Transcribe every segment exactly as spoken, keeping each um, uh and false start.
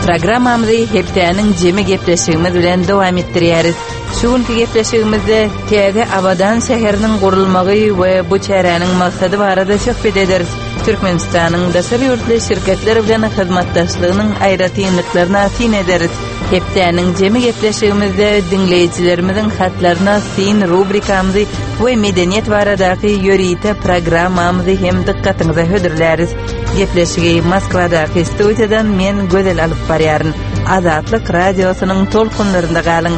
Programmamyzy hepdäniň jemi gepleşigimiz bilen dowam etdirýäris. Şu günki gepleşigimizde täze Abadan şäheriniň gurulmagy we bu çäräniň maksady barada söhbet ederis. Türkmenistanyň daşary ýurtly şirketler bilen hyzmatdaşlygynyň aýratynlyklaryna syn ederis. Hepdäniň jemi gepleşigimizde diňleýjilerimiziň hatlaryna syn rubrikamyzy we medeniýet baradaky ýörite programmamyzy hem dykgatyňyza hödürläris. Gepleşigi Moskwadaky studiýadan men Gözel alyp barýaryn. Azatlyk radiosynyň tolkunlarynda galyň.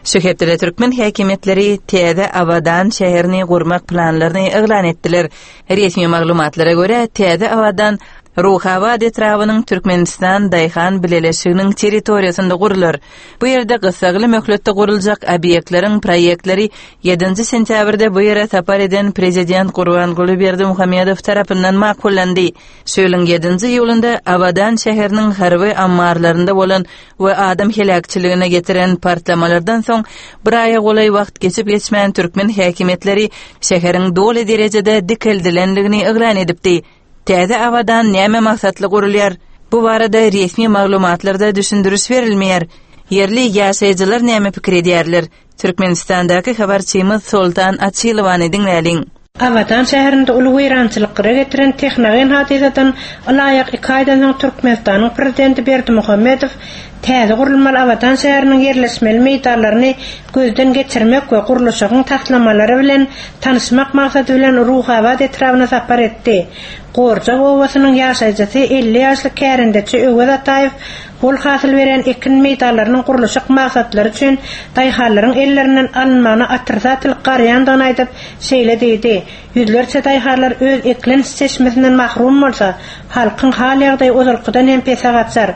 Şu hepdede türkmen häkimiýetleri täze Abadan şäherini gurmak planlaryny yglan etdiler. Resmi maglumatlara görä, täze Abadan Ruhabat etrabynyň Türkmenistan Daýhan bileleşiginiň territoriýasynda gurular. Bu ýerde gyssagly möhletde guruljak obýektleriň proýektleri ýedinji sentýabrda bu ýere sapar eden prezident Gurbanguly Berdimuhamedow tarapyndan makullandy. Şu ýylyň ýedinji iýulynda Abadan şäheriniň harby ammarlarynda bolan we adam heläkçiligine getiren partlamalardan soň bir aýa golaý wagt geçip geçmän türkmen häkimiýetleri şäheriň doly derejede dikeldilendigini yglan edipdi. Täze Abadan näme maksatly gurulýar? Bu barada resmi maglumatlarda düşündiriş berilmeýär. Ýerli ýaşaýjylar näme pikir edýärler? Türkmenistandaky habarçymyz Soltan Açylowany diňläliň. Abadan şäherinde uly weýrançylyklara getiren tehnogen hadysadan ylaýyk iki aýdan soň Türkmenistanyň prezidenti Berdimuhamedow täze gurulmaly Abadan şäheriniň ýerleşmeli meýdanlaryny gözden geçirmek we gurluşygyň taslamalary bilen tanyşmak maksady bilen Ruhabat etrabyna sapar etdi. Gorjak obasynyň ýaşaýjysy elli ýaşly kärendeçi Öwez Ataýew bol hasyl beren ekin meýdanlarynyň gurluşyk maksatlary üçin daýhanlaryň ellerinden alynmagyna otrisatel garaýandygyny aýdyp, şeýle diýdi: Ýüzlerçe daýhanlar öz eklenç çeşmesinden mahrum bolsa, halkyň hal ýagdaýy ozalkydan hem pese gaçar.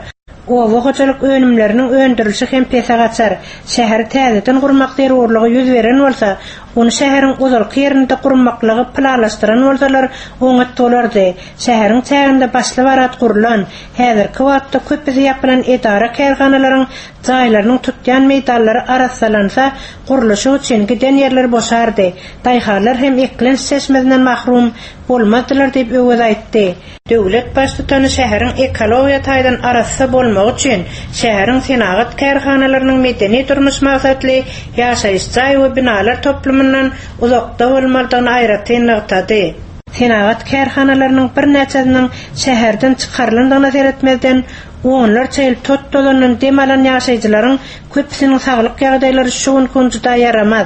Oba hojalyk önümleriniň öndürilişi hem pese gaçar. Şäheri täzeden gurmak zerurlygy ýüz beren bolsa, ony şäheriň ozalky ýerinde gurmaklygy planlaşdyran bolsalar, oňat bolardy. Şäheriň çäginde başly barat gurulan, häzirki wagtda köpüsi ýapylan edara kärhanalaryň jaýlarynyň tutýan meýdanlary arassalansa, gurluşyk üçin giden ýerler boşardy. Daýhanlar hem eklenç çeşmesinden mahrum bolmazdylar diýip Öwez aýtdy. Döwlet baştutany şäheriň ekologiýa taýdan arassa bolmagy üçin şäheriň senagat kärhanalarynyň medeni durmuş maksatly ýaşaýyş jaý we binalar toplumyndan uzakda bolmalydygyny aýratyn nygtady. Senagat kärhanalarynyň birnäçesiniň şäherden çykarylandygyna seretmezden, onlarça ýyl tot tozandan dem alan ýaşaýjylaryň köpüsiniň saglyk ýagdaýlary şu gün juda ýaramaz.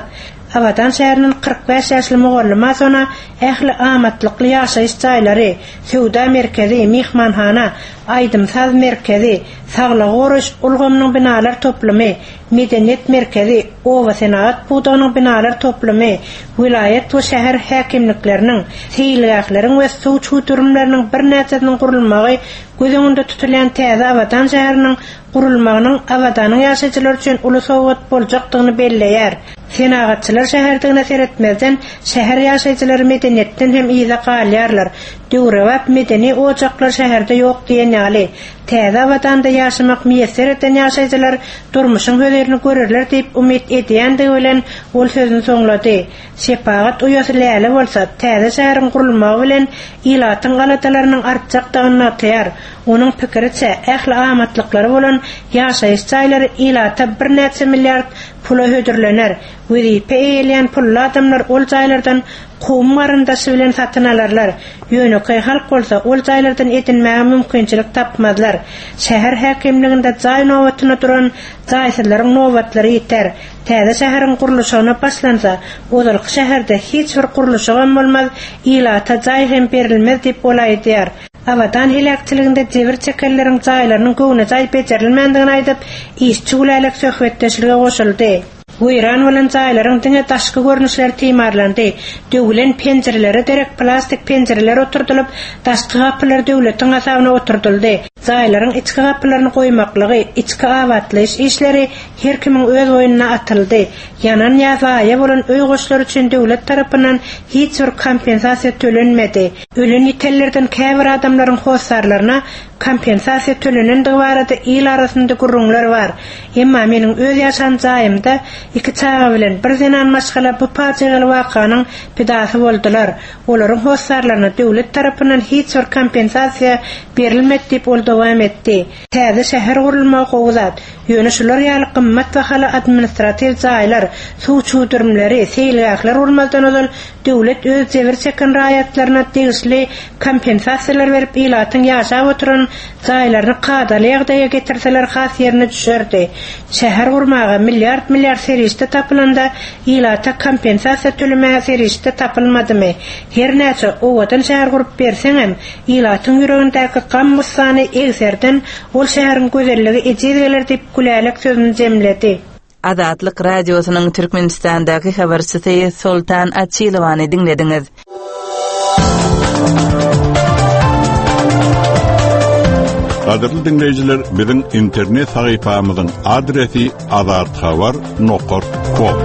Abadan şäheriniň kyrk bäş ýaşly mugallyma sona ähli amatlykly ýaşaýyş jaýlary, söwda merkezi, myhmanhana, aýdym-saz merkezi, saglygy goraýyş ulgamynyň binalar toplumy, medeniýet merkezi, oba senagat pudagynyň binalar toplumy, welaýat we şäher häkimlikleriniň, seýilgähleriň we suw çüwdürimleriniň birnäçesiniň gurulmagy göz öňünde tutulýan täze Abadan şäheriniň gurulmagynyň Abadanyň ýaşaýjylary üçin uly sowgat boljakdygyny belleýär. Senagatçylar şäherdigine seretmezden şäher ýaşaýjylary medeniýetden hem yza galýarlar. Döwrebap medeni ojaklar şäherde ýok diýen ýaly. Täze Abadanda ýaşamak miýesser eden ýaşaýjylar durmuşyň hözirini görerler diýip umyt edýändigi bilen ol sözüni soňlady. Şepagat uýasy Läle bolsa täze şäheriň gurulmagy bilen ilatyň aladalarynyň artjakdygyny nygtaýar. Onuň pikiriçe ähli amatlyklary bolan ýaşaýyş jaýlary ilata birnäçe milliard pula hödürlener. Wezipe eýeleýän pully adamlar ol jaýlardan kowum garyndaşy bilen satyn alarlar. Ýönekeý halk bolsa ol jaýlardan edinmäge mümkinçilik tapmazlar. Şäher häkimliginde jaý nobatyna duran jaýsyzlaryň nobatlary ýiter. Täze şäheriň gurluşygyna başlansa, ozalky şäherde hiç bir gurluşygam bolmaz, ilata jaý hem berilmez diýip ol aýdýar. Abadan heläkçiliginde jebir çekenleriň jaýlarynyň göwne jaý bejerilmändigini aýdyp, işçi gülälek söhbetdeşlige goşuldy. Weýran bolan jaýlaryň diňe daşky görnüşleri timarlandy. Döwülen penjirelere derek plastik penjireler oturdylyp, daşky gapylar döwletiň hasabyna oturdyldy. Jaýlaryň içki gapylaryny goýmaklygy, içki abatlaýyş işleri her kimiň öz boýnuna atyldy. Ýanan ýa zaýa bolan öý goşlary üçin döwlet tarapyndan hiç bir kompensasiýa tölenmedi. Ölen ýitenlerden käbir adamlaryň hossarlaryna kompensasiýa tölenendigi barada il arasynda gürrüňler bar. Emma meniň öz ýaşan jaýymda iki çaga bilen bir zenan maşgala bu pajygaly wakanyň pidasy boldular. Olaryň hossarlaryna döwlet tarapyndan hiç bir kompensasiýa berilmedi diýip ol dowam etdi. Täze şäher gurulmagy gowy zat. Ýöne şular ýaly gymmat bahaly administratiw jaýlar, suw çüwdürimleri, seýilgähler gurmazdan ozal döwlet öz jebir çeken raýatlaryna degişli kompensasiýalar berip ilatyň ýaşap oturan jaýlaryny kadaly ýagdaýa getirseler has ýerine düşerdi. Şäher gurmaga milliard milliard serişde tapylanda ilata kompensasiýa tölemäge serişde tapylmadymy? Her näçe owadan şäher gurup berseňem, ilatyň ýüregindäki gam gussany egserden ol şäheriň gözelligi ejiz geler diýip Gülälek sözüni jemledi. Azatlyk Radiosynyň Türkmenistandaky habarçysy Soltan Açylowany diňlediňiz. Gadyrly dinleýjiler, biziň internet sahypamyzyň adresi azathabar nokta com.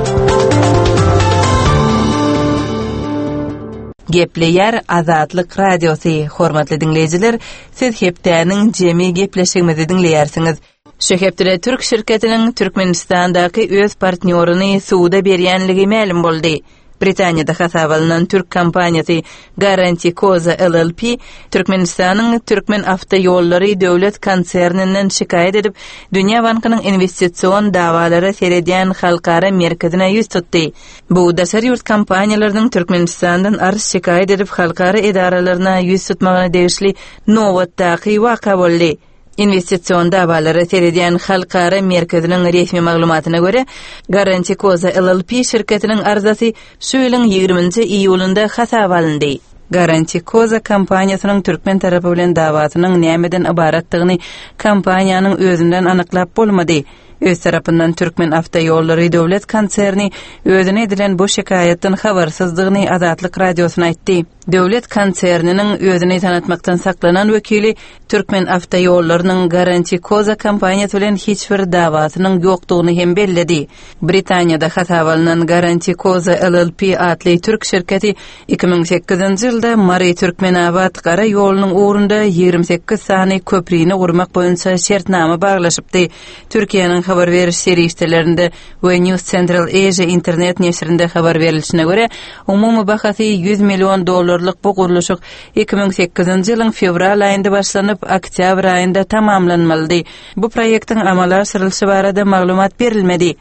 Gepleýär Azatlyk Radiosy. Hormatly dinleýjiler, siz hepdäniň jemi gepleşigimizi diňleýärsiňiz. Şu hepdede Türk şirketiniň Türkmenistandaky öz partnýoryny suda berýänligi mälim boldy. Britaniýada hasap alynan Türk kompaniýasy Garanti Koza L L P Türkmenistanyň Türkmen Awtoýollary döwlet konserninden şikaýat edip, Dünýä Bankynyň investision dawalara seredýän halkara merkezine ýüz tutdy. Bu daşary ýurt kompaniýalarynyň Türkmenistandan arz şikaýat edip halkara edaralaryna ýüz tutmagyna degişli nobatdaky waka boldy. Investision dawalara seredýän halkara merkeziniň resmi maglumatyna görä, Garanti Koza L L P şirketiniň arzasy şu ýylyň ýigriminji iýulynda hasap alyndy. Garanti Koza kompaniýasynyň türkmen tarapy bilen dawasynyň nämeden ybaratdygyny kompaniýanyň özünden anyklap bolmady. Öz tarapyndan Türkmen Awtoýollary döwlet konserni özüne edilen bu şikaýatdan habarsyzdygyny Azatlyk Radiosyna aýtdy. Döwlet konserniniň özüni tanatmakdan saklanan wekili Türkmen Awtoýollarynyň Garanti Koza kompaniýasy bilen hiç bir dawasynyň ýokdugyny hem belledi. Britaniýada hasap alynan Garanti Koza L L P atly türk şirketi iki müň sekizinji ýylda Mary Türkmenabat gara ýolunyň ugrunda ýigrimi sekiz sany köprüni gurmak boýunça şertnama baglaşypdy. Türkiýäniň habar beriş serişdelerinde we News Central Asia internet neşirinde habar berilişine görä, umumy bahasy ýüz million dollarlyk bu gurluşyk iki müň sekizinji ýylyň fewral aýynda başlanyp, oktýabr aýynda tamamlanmalydy. Bu proýektiň amala aşyrylyşy barada maglumat berilmedi.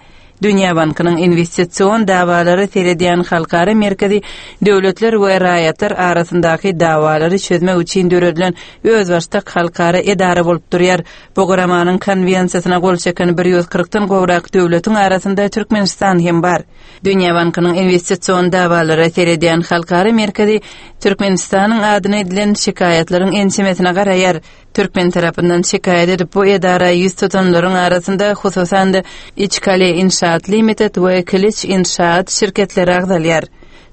Dünýä Bankynyň investision dawalary seredýän halkara merkezi döwletler we raýatlar arasyndaky dawalary çözmek üçin döredilen özbaşdak halkara edara bolup durýar. Bu guramanyň konwensiýasyna gol çeken bir ýüz kyrkdan gowrak döwletiň arasynda Türkmenistan hem bar. Dünýä Bankynyň investision dawalary seredýän halkara merkezi Türkmenistanyň adyna edilen şikaýatlaryň ençemesine garaýar. Türkmen tarapyndan şikaýat edip bu edara ýüz tutanlaryň arasynda hususan-da Içkale Inşaat Limited we Kiliç Inşaat şirketleri agzalýar.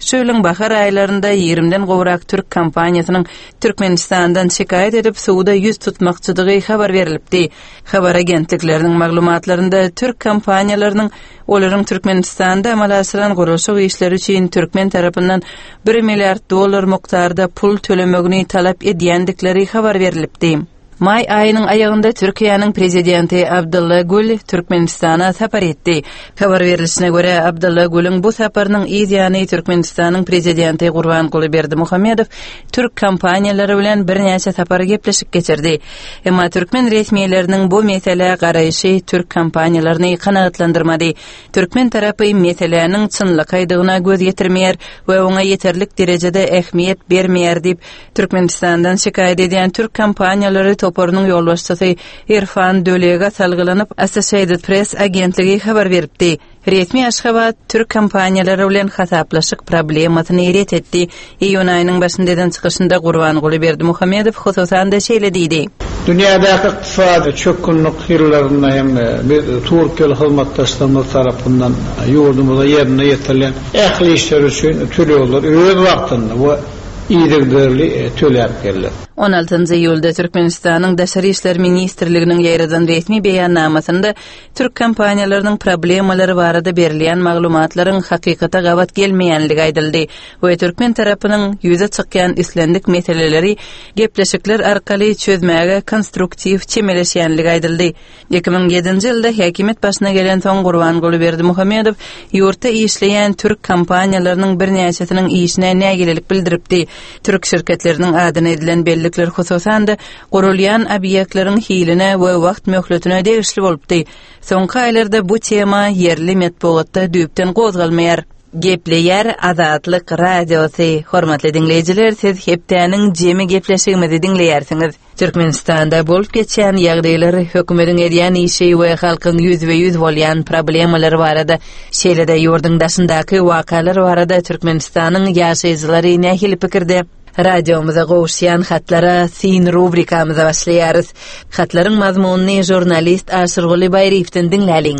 Şu ýylyň bahar aýlarynda ýigrimden gowrak türk kompaniýasynyň Türkmenistandan şikaýat edip suda ýüz tutmakçydygy habar berilipdi. Habar agentlikleriniň maglumatlarynda türk kompaniýalarynyň olaryň Türkmenistanda amala aşyran gurluşyk işleri üçin türkmen tarapyndan bir milliard dollar mukdarda pul tölemegini talap edýändikleri habar berilipdi. Maý aýynyň aýagynda Türkiýäniň prezidenti Abdylla Gül Türkmenistana sapar etdi. Habar berilişine görä, Abdylla Gülüň bu saparynyň yz ýany Türkmenistanyň prezidenti Gurbanguly Berdimuhamedow türk kompaniýalary bilen birnäçe sapar gepleşik geçirdi. Emma türkmen resmileriniň bu meselä garaýşy türk kompaniýalaryny kanagatlandyrmady. Türkmen tarapy meseläniň çynlakaýdygyna göz ýetirmeýär we oňa ýeterlik derejede ähmiýet bermeýär diýip, Türkmenistandan şikaýat edýän türk kompaniýalary toparynyň ýolbaşçysy Irfan Dölega salgylanyp Associated Press agentligi habar beripdi. Resmi Aşgabat türk kompaniýalary bilen hasaplaşyk problemasyny ret etdi. Iýun aýynyň başynda eden çykyşynda Gurbanguly Berdimuhamedow hususan-da şeýle diýdi. Dünýädäki ykdysady çökgünlik ýyllarynda hem biz Türkiýeli hyzmatdaşlarymyz tarapyndan ýurdumyza ýerine ýetirilen ähli işler üçin tölegler öz wagtynda we yzygiderli töläp geldi. On altynjy iýulda Türkmenistanyň Daşary işler ministrliginiň ýaýradan resmi beýannamasynda türk kompaniýalarynyň problemalary barada berilýän maglumatlaryň hakykata gabat gelmeýänligi aýdyldy we türkmen tarapynyň ýüze çykýan islendik meseleleri gepleşikler arkaly çözmäge konstruktiw çemeleşýänligi aýdyldy. Iki müň ýedinji ýylda häkimiýet başyna gelensoň Gurbanguly Berdimuhamedow ýurtda işleýän türk kompaniýalarynyň birnäçesiniň işine nägilelik bildiripdi. Türk şirketleriniň adyna edilen bellikler hususan-da gurulýan obýektleriň hiline we wagt möhletine degişli bolupdy. Soňky aýlarda bu tema ýerli metbugatda düýpden gozgalmaýar. Gepleýär Azatlyk Radiosy. Hormatly diňleýjiler, siz hepdäniň jemi gepleşigimizi diňleýärsiňiz. Türkmenistanda bolup geçýän ýagdaýlar, hökümetiň edýän işi we halkyň ýüzbe-ýüz bolýan problemalary barada, şeýle-de ýurduň daşyndaky wakalar barada Türkmenistanyň ýaşaýjylary nähili pikirde? Radiomyza gowuşýan hatlara syn rubrikamyza başlaýarys. Hatlaryň mazmunyny žurnalist Aşyrguly Baýryýewden diňläliň.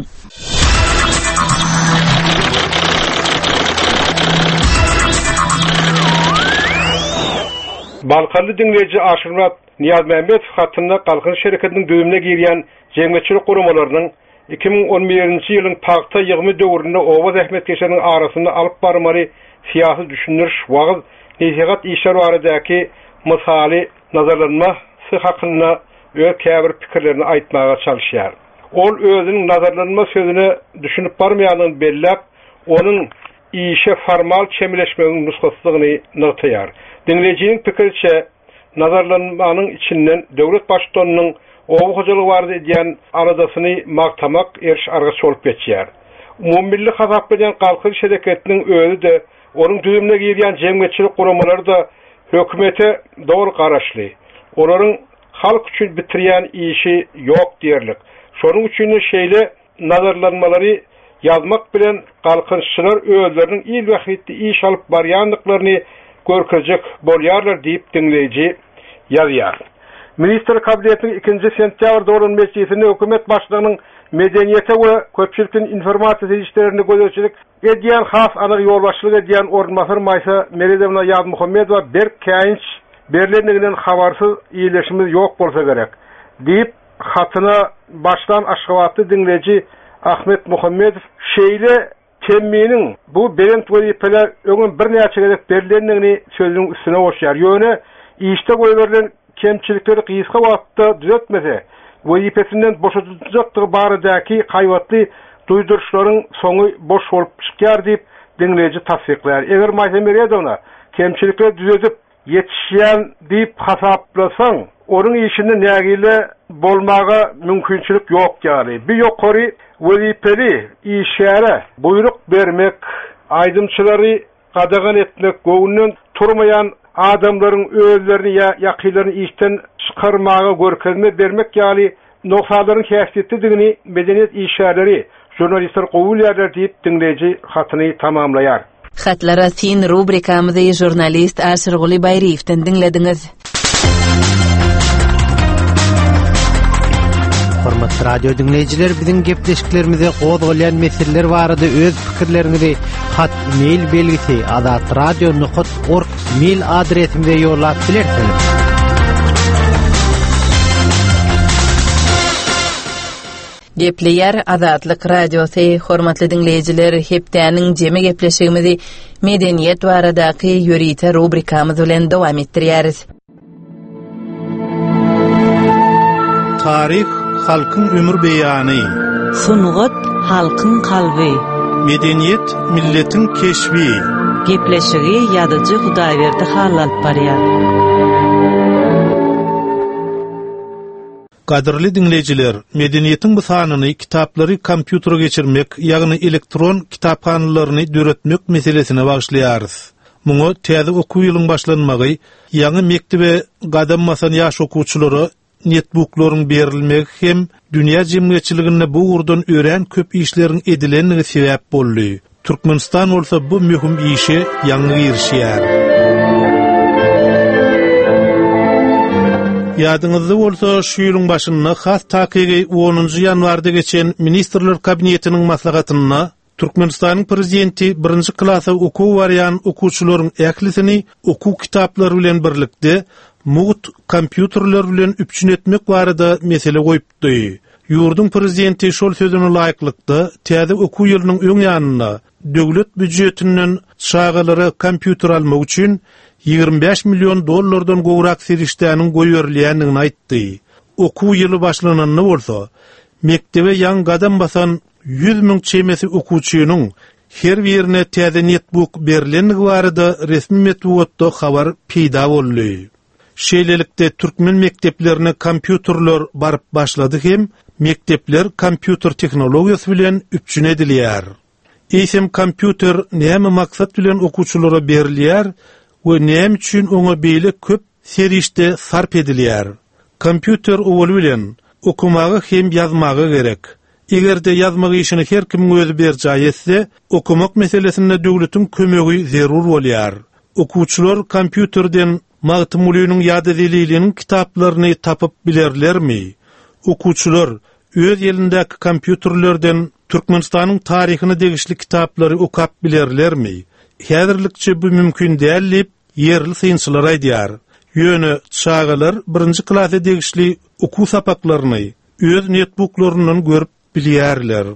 Balkanly diňleýji Aşyrmyrat Nyýazmämmedow hatynda Galkynyş şereketiniň düzümine girýän jemgyýetçilik guramalarynyň iki müň on birinji ýylyň pagta ýygymy döwründe oba zähmetkeşleriniň arasynda alyp barmaly syýasy düşündiriş, wagyz, nesihat işleri baradaky mysaly nazarlanmasy hakynda öz käbir pikirlerini aýtmaga çalyşýar. Ol özüniň nazarlanma sözüne düşünip barmaýandygyny belläp, onuň işe formal çemeleşmegiň nusgasydygyny nygtaýar. Diňleýjiniň pikiriçe, nazarlanmanyň içinden döwlet baştutanynyň oba hojalygy barada edýän aladasyny magtamak eriş-argaç bolup geçýär. Umummilli hasaplanýan Galkynyş hereketiniň özi-de, onuň düzümine girýän jemgyýetçilik guramalary-da hökümete doly garaşly. Olaryň halk üçin bitirýän işi ýok diýerlik. Şonuň üçin-de şeýle nazarlanmalary ýazmak bilen galkynyşçylar özleriniň il bähbitli iş alyp barýandyklaryny görkezjek bolýarlar diýip diňleýji ýazýar. Ministr Kabinetiniň ikinji sentýabrda bolan mejlisinde hökümet başlygynyň medeniýete we köpçülikleýin informasiýa serişdelerine gözegçilik edýän has anyk ýolbaşçylyk edýän orunbasar Maýsa Meredowna Ýazmuhammedowa berk käýinç berlendiginden habarsyz ýerleşimiz ýok bolsa gerek diýip hatyna başlan Aşgabatly diňleýji Ahmet Muhammedow şeýle temminiň bu belent wezipeler öňem birnäçe gezek berlendigini sözüniň üstüne goşýar. Ýöne işde goýberilen kemçilikleri gysga wagtda düzetmese, wezipesinden boşadyljakdygy baradaky haýbatly duýduryşlaryň soňy boş bolup çykýar diýip diňleýji tassyklaýar. Eger Maýsa Meredowna kemçilikleri düzedip ýetişýän diýip hasaplasaň, onuň işinde nägile bolmaga mümkinçilik ýok ýaly. Bir ýokary wezipeli işgäre buýruk bermek, aýdymçylary gadagan etmek, göwünden turmaýan adamlaryň özlerini ýa ýakynlaryny işden çykarmaga görkezme bermek ýaly noksalaryn häsiýetlidigini medeniýet işgärleri, žurnalistler gowy bilýärler diýip diňleýji hatyny tamamlaýar. Hatlara syn rubrikamyzy žurnalist Aşyrguly Baýryýewden diňlediňiz. Hormatly radio diňleýjiler, biziň gepleşiklerimize gozgalýan meseleler barada öz pikirleriňizi hat mail belgisi azatradio nokat org mail adresimize ýollap bilersiňiz. Gepleýär Azatlyk Radiosy. Hormatly diňleýjiler, hepdäniň jemi gepleşigimizi medeniýet baradaky ýörite rubrikamyz bilen dowam etdirýäris. Taryh halkyň ömür beýany. Sungat halkyň kalby. Medeniýet milletiň keşbi. Gepleşigi ýazyjy Hudaýberdi Hally alyp barýar. Gadyrly diňleýjiler, medeniýetiň bu sanyny kitaplary kompýutere geçirmek, ýagny elektron kitaphanalaryny döretmek meselesine bagyşlaýarys. Muňa täze okuw ýylyň başlanmagy, ýaňy mekdebe gadam basan ýaş okuwçylara netbooklaryň berilmegi hem dünýä jemgyýetçiliginde bu ugurdan örän köp işleriň edilendigi sebäp boldy. Türkmenistan bolsa bu möhüm işe ýaňy girişýär. Ýadyňyzda bolsa şu ýylyň başynda has takygy onunjy ýanwarda geçen Ministrler Kabinetiniň maslahatynda Türkmenistanyň prezidenti birinji klasa okuw barýan okuwçylaryň ählisini okuw kitaplary bilen birlikde mugt kompýuterler bilen üpjün etmek barada mesele goýupdy. Ýurduň prezidenti şol sözüne laýyklykda täze okuw ýylynyň öň ýanynda döwlet býujetinden çagalara kompýuter almak üçin ýigrimi bäş million dollardan gowrak serişdäniň goýberilýändigini aýtdy. Okuw ýyly başlananda bolsa, mekdebe ýaňy gadam basan ýüz müň çemesi okuwçynyň her birine täze netbook berilendigi barada resmi metbugatda habar peýda boldy. Şeýlelikde türkmen mekdeplerine kompýuterler baryp başlady hem mekdepler kompýuter tehnologiýasy bilen üpjün edilýär. Eýsem kompýuter näme maksat bilen okuwçylara berilýär we näme üçin oňa beýle köp serişde sarp edilýär? Kompýuter owaly bilen okumaga hem ýazmaga gerek. Eger-de ýazmak işini her kimiň özi berjaý etse, okumak meselesinde döwletiň kömegi zerur bolýar. Okuwçylar kompýuterden Magtymgulynyň ýa-da Zeliliniň kitaplaryny tapyp bilerlermi? Okuwçylar öz elindäki kompýuterlerden Türkmenistanyň taryhyna degişli kitaplary okap bilerlermi? Häzirlikçe bu mümkin däl diýip ýerli synçylar aýdýar. Ýöne çagalar birinji klasa degişli okuw sapaklaryny öz netbooklaryndan görüp bilýärler.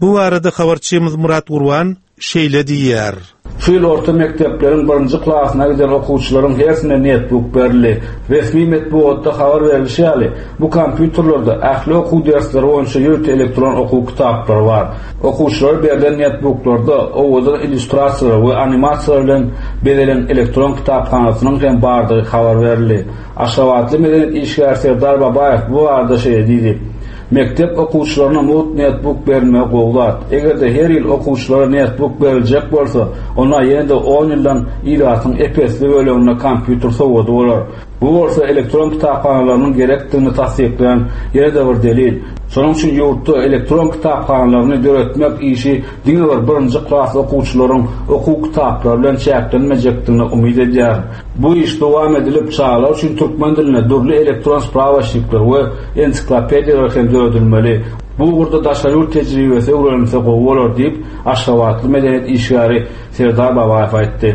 Bu barada habarçymyz Murat Gurban şeýle diýýär. Şu ýyl orta mekdepleriň birinji klasyna giden okuwçylaryň hersine netbook berildi. Resmi metbugatda habar berilişi ýaly, bu kompýuterlerde ähli okuw dersleri boýunça ýörite elektron okuw kitaplary bar. Okuwçylara berlen netbooklarda owadan illýustrasiýalar we animasiýalar bilen bezelen elektron kitaphanasynyň hem bardygy habar berildi. Aşgabatly medeniýet işgäri Serdar Babaýew bu barada şeýle diýdi. Mektep okuwçylaryna mugt netbook berilmegi gowy zat. Eger-de her ýyl okuwçylara netbook beriljek bolsa, onda ýene-de on ýyldan ilatyň epesli böleginde kompýuter sowady bolar. Bu bolsa elektron kitaphanalarynyň gerekdigini tassyklaýan ýene-de bir delil. Şonuň üçin ýurtda elektron kitaphanalaryny döretmek işi diňe bir birinji klas okuwçylaryň okuw kitaplary bilen çäklenmejekdigine umyt edýär. Bu iş dowam edilip, çagalar üçin türkmen dilinde dürli elektron sprawaçnikler we ensiklopediýalar hem döredilmeli. Bu ugurda daşary ýurt tejribesi öwrenilse gowy bolar diýip, Aşgabatly medeniýet işgäri Serdar Babaýew aýtdy.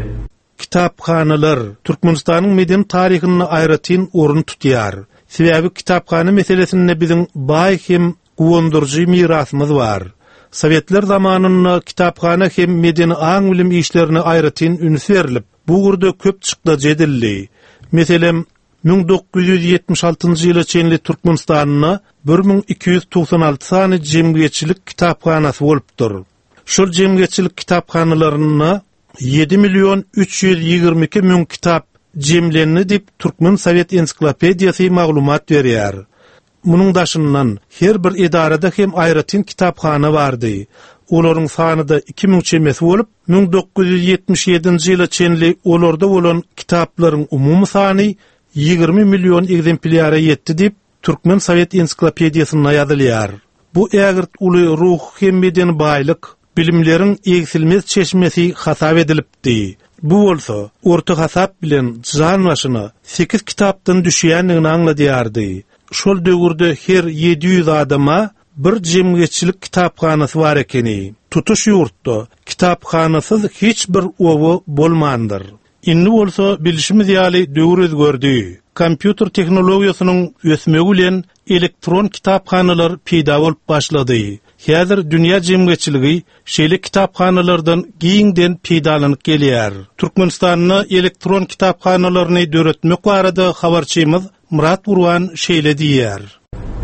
Kitaphanalar Türkmenistanyň medeni taryhynda aýratyn orun tutýar. Sebäbi kitaphana meselesinde biziň baý hem guwandyryjy mirasymyz bar. Sowetler zamanynda kitaphana hem medeni aň-bilim işlerine aýratyn üns berilip, bu ugurda köp çykdajy edildi. Meselem, müň dokuz ýüz ýetmiş altynjy ýyla çenli Türkmenistanda bir müň iki ýüz togsan alty sany jemgyýetçilik kitaphanasy bolupdyr. Şol jemgyýetçilik kitaphanalarynda ýedi million üç ýüz ýigrimi iki müň kitap jemlendi diýip Türkmen Sowet ensiklopediýasy maglumat berýär. Munuň daşyndan her bir edarada hem aýratyn kitaphana bardy. Olaryň sany da iki müň çemesi bolup, müň dokuz ýüz ýetmiş ýedinji ýyla çenli olarda bolan kitaplaryň umumy sany ýigrimi million egzemplýara ýetdi diýip Türkmen Sowet ensiklopediýasynda ýazylýar. Bu ägirt uly ruh hem medeni baýlyk, bilimleriň egsilmez çeşmesi hasap edilipdi. Bu bolsa orta hasap bilen jan başyna sekiz kitapdan düşýändigini aňladýardy. Şol döwürde her ýedi ýüz adama bir jemgyýetçilik kitaphanasy bar ekeni. Tutuş ýurtda kitaphanasyz hiç bir oba bolmandyr. Indi bolsa bilişimiz ýaly döwür özgerdi. Kompýuter tehnologiýasynyň ösmegi bilen elektron kitaphanalar peýda bolup başlady. Häzir dünýä jemgyýetçiligi şeýle kitaphanalardan giňden peýdalanyp gelýär. Türkmenistanda elektron kitaphanalaryny döretmek barada habarçymyz Murat Gurban şeýle diýýär.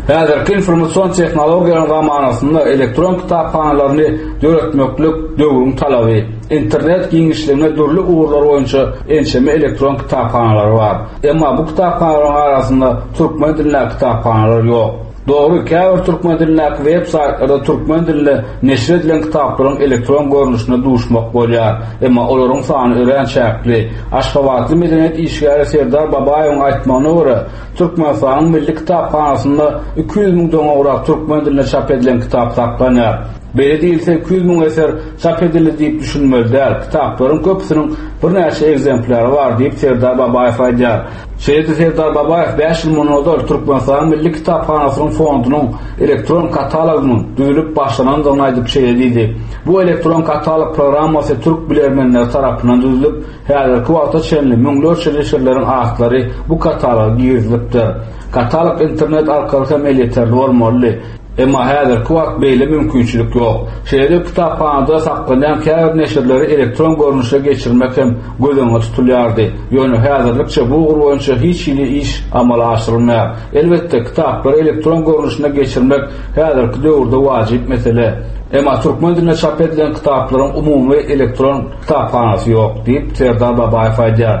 Häzirki informasion tehnologiýalaryň zamanasynda elektron kitaphanalaryny döretmeklik döwrüň talaby. Internet giňişliginde dürli ugurlar boýunça ençeme elektron kitaphanalary bar. Emma bu kitaphanalaryň arasynda türkmen dilindäki kitaphanalar ýok. Dogry, käbir türkmen dilindäki web saýtlarda türkmen dilinde neşir edilen kitaplaryň elektron görnüşine duşmak bolýar. Emma olaryň sany örän çäkli. Aşgabatly medeniýet işgäri Serdar Babaýewiň aýtmagyna görä, Türkmenistanyň Milli kitaphanasynda iki ýüz müňden gowrak türkmen dilinde çap edilen kitap saklanýar. Beýle diýilse iki ýüz müň eser çap edildi diýip düşünmeli däl, kitaplaryň köpüsiniň birnäçe ekzemplýary bar diýip Serdar Babaýew aýdýar. Şeýle-de Serdar Babaýew bäş ýyl mundan ozal Türkmenistanyň Milli kitaphanasynyň fondunyň elektron katalogynyň düzülip başlanandygyny aýdyp şeýle diýdi, Bu elektron katalog programmasy türk bilermenleri tarapyndan düzülip, häzirki wagta çenli müňlerçe neşirleriň atlary bu kataloga girizilipdir. Katalog internet arkaly hem elýeterli bolmalydy. Emma häzirki wagt beýle mümkinçilik ýok. Şeýle-de kitaphanada saklanýan käbir neşirleri elektron görnüşe geçirmek hem göz öňünde tutulýardy. Ýöne häzirlikçe bu ugur boýunça hiç hili iş amala aşyrylmaýar. Elbetde, kitaplary elektron görnüşine geçirmek häzirki döwürde wajyp mesele. Emma türkmen dilinde çap edilen kitaplaryň umumy elektron kitaphanasy ýok, diýip, Serdar Babaýew aýdýar.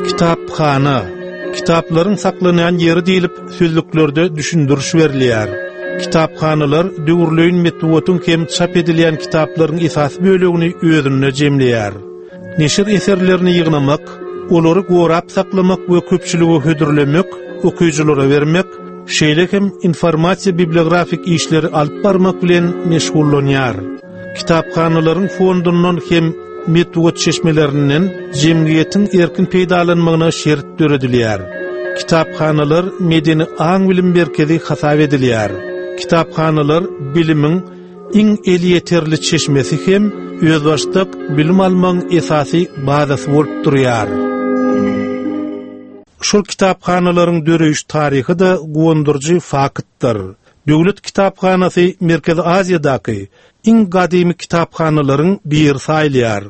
Kitaphana, kitaplaryň saklanýan ýeri diýlip sözlüklerde düşündiriş berilýär. Kitaphanalar döwürleýin metbugatyň hem çap edilýän kitaplaryň esasy bölegini özünde jemleýär. Neşir eserlerini ýygnamak, olary gorap saklamak we köpçülige hödürlemek, okyjylara bermek, şeýle hem informasiýa-bibliografik işleri alyp barmak bilen meşgullanýar. Kitaphanalaryň fondundan hem metbugat çeşmelerinden jemgyýetiň erkin peýdalanmagyna şert döredilýär. Kitaphanalar medeni aň-bilim merkezi hasap edilýär. Kitaphanalar bilimiň iň elýeterli çeşmesi hem özbaşdak bilim almagyň esasy bazasy bolup durýar. Şol kitaphanalaryň döreýiş taryhy-da guwandyryjy faktdyr. Döwlet kitaphanasy Merkezi Aziýadaky iň gadymy kitaphanalaryň biri saýylýar.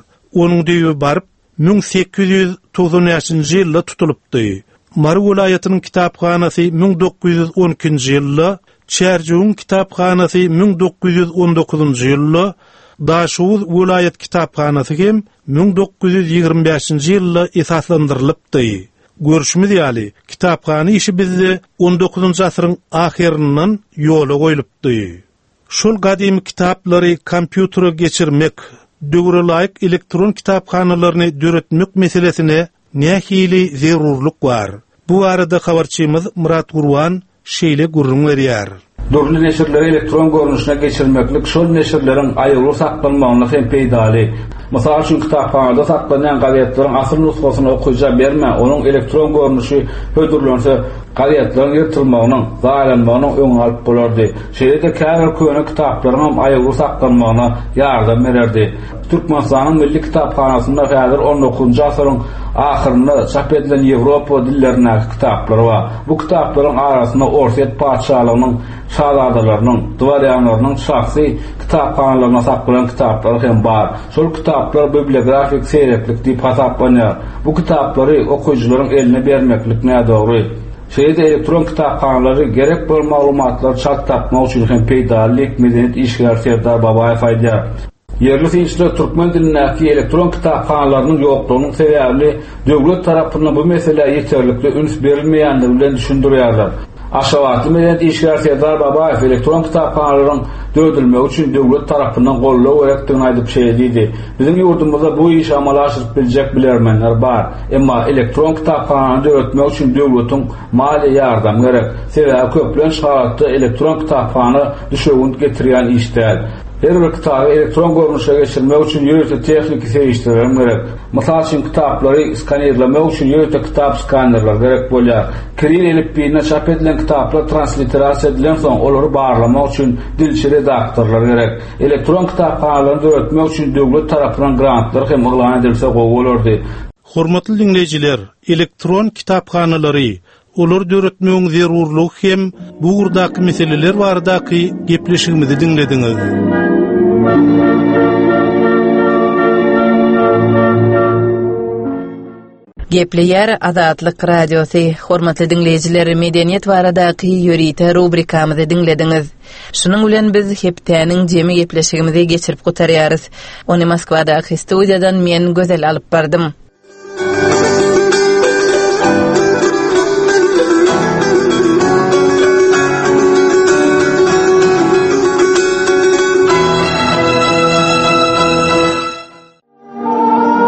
Onuň düýbi baryp müň sekiz ýüz togsan bäşinji ýylda tutulypdy. Mary welaýatynyň kitaphanasy müň dokuz ýüz on ikinji ýylda, Çärjewiň kitaphanasy müň dokuz ýüz on dokuzynjy ýylda, Daşoguz welaýat kitaphanasy hem müň dokuz ýüz ýigrimi bäşinji ýylda esaslandyrylypdy. Görşümiz ýaly, kitaphana işi bizde on dokuzynjy asyryň ahyryndan ýola goýlupdy. Şol gadymy kitaplary kompýutere geçirmek, döwre laýyk elektron kitaphanalaryny döretmek meselesine nähili zerurlyk bar? Bu barada habarçymyz Myrat Gurban şeýle gürrüň berýär. Dürli neşirleri elektron görnüşine geçirmeklik şol neşirleriň aýawly saklanmagyna hem peýdaly. Mysal üçin, kitaphanada saklanýan gazetleriň asyl nusgasyny okyja bermän, onuň elektron görnüşi hödürlense, gazetleriň ýyrtylmagynyň, zaýalanmagynyň öňüni alyp bolardy. Şeýle-de käbir köne kitaplaryň hem aýawly saklanmagyna ýardam bererdi. Türkmenistanyň Milli kitaphanasynda häzir on dokuzynjy asyryň ahyrynda çap edilen Ýewropa dillerindäki kitaplar bar. Bu kitaplaryň arasynda Orsýet patyşalygynyň şazadalarynyň, dworýanlarynyň şahsy kitaphanalarynda saklanan kitaplar hem bar. Şol kitaplar bibliografik seýreklik diýip hasaplanýar. Bu kitaplary okyjylaryň eline bermeklik nädogry. Şeýle-de elektron kitaphanalary gerek bolan maglumatlary çalt tapmak üçin hem peýdaly diýip, medeniýet işgäri Serdar Babaýew aýdýar. Ýerli synçylar türkmen dilindäki elektron kitaphanalarynyň ýoklugynyň sebäbini döwlet tarapyndan bu meselä ýeterlikli üns berilmeýändigi bilen düşündirýärler. Aşgabatly medeniýet işgäri Serdar Babaýew elektron kitaphanalaryň döredilmegi üçin döwlet tarapyndan goldaw gerekdigini aýdyp şeýle diýdi: Biziň ýurdumyzda bu işi amala aşyryp biljek bilermenler bar. Emma elektron kitaphanany döretmek üçin döwletiň maliýe ýardamy gerek. Sebäbi köplenç halatda elektron kitaphana düşewünt getirýän iş däl. Her bir kitaby elektron görnüşe geçirmek üçin ýörite tehniki serişdeler gerek. Mysal üçin, kitaplary skanirlemek üçin ýörite kitap skanerleri gerek bolýar. Kiril elipbiýinde çap edilen kitaplar transliterasiýa edilensoň, olary barlamak üçin dilçi redaktorlar gerek. Elektron kitaphanalaryny döretmek üçin döwlet tarapyndan grantlar hem yglan edilse gowy bolardy. Hormatly diňleýjiler, elektron kitaphanalary, olary döretmegiň zerurlygy hem bu ugurdaky meseleler baradaky gepleşigimizi diňlediňiz. Gepleýär Azatlyk Radiosy. Hormatly diňleýjiler, medeniýet baradaky ýörite rubrikamyzy diňlediňiz. Şunuň bilen biz hepdäniň jemi gepleşigimizi geçirip gutarýarys. Ony Moskwadaky studiýadan men Gözel alyp bardym.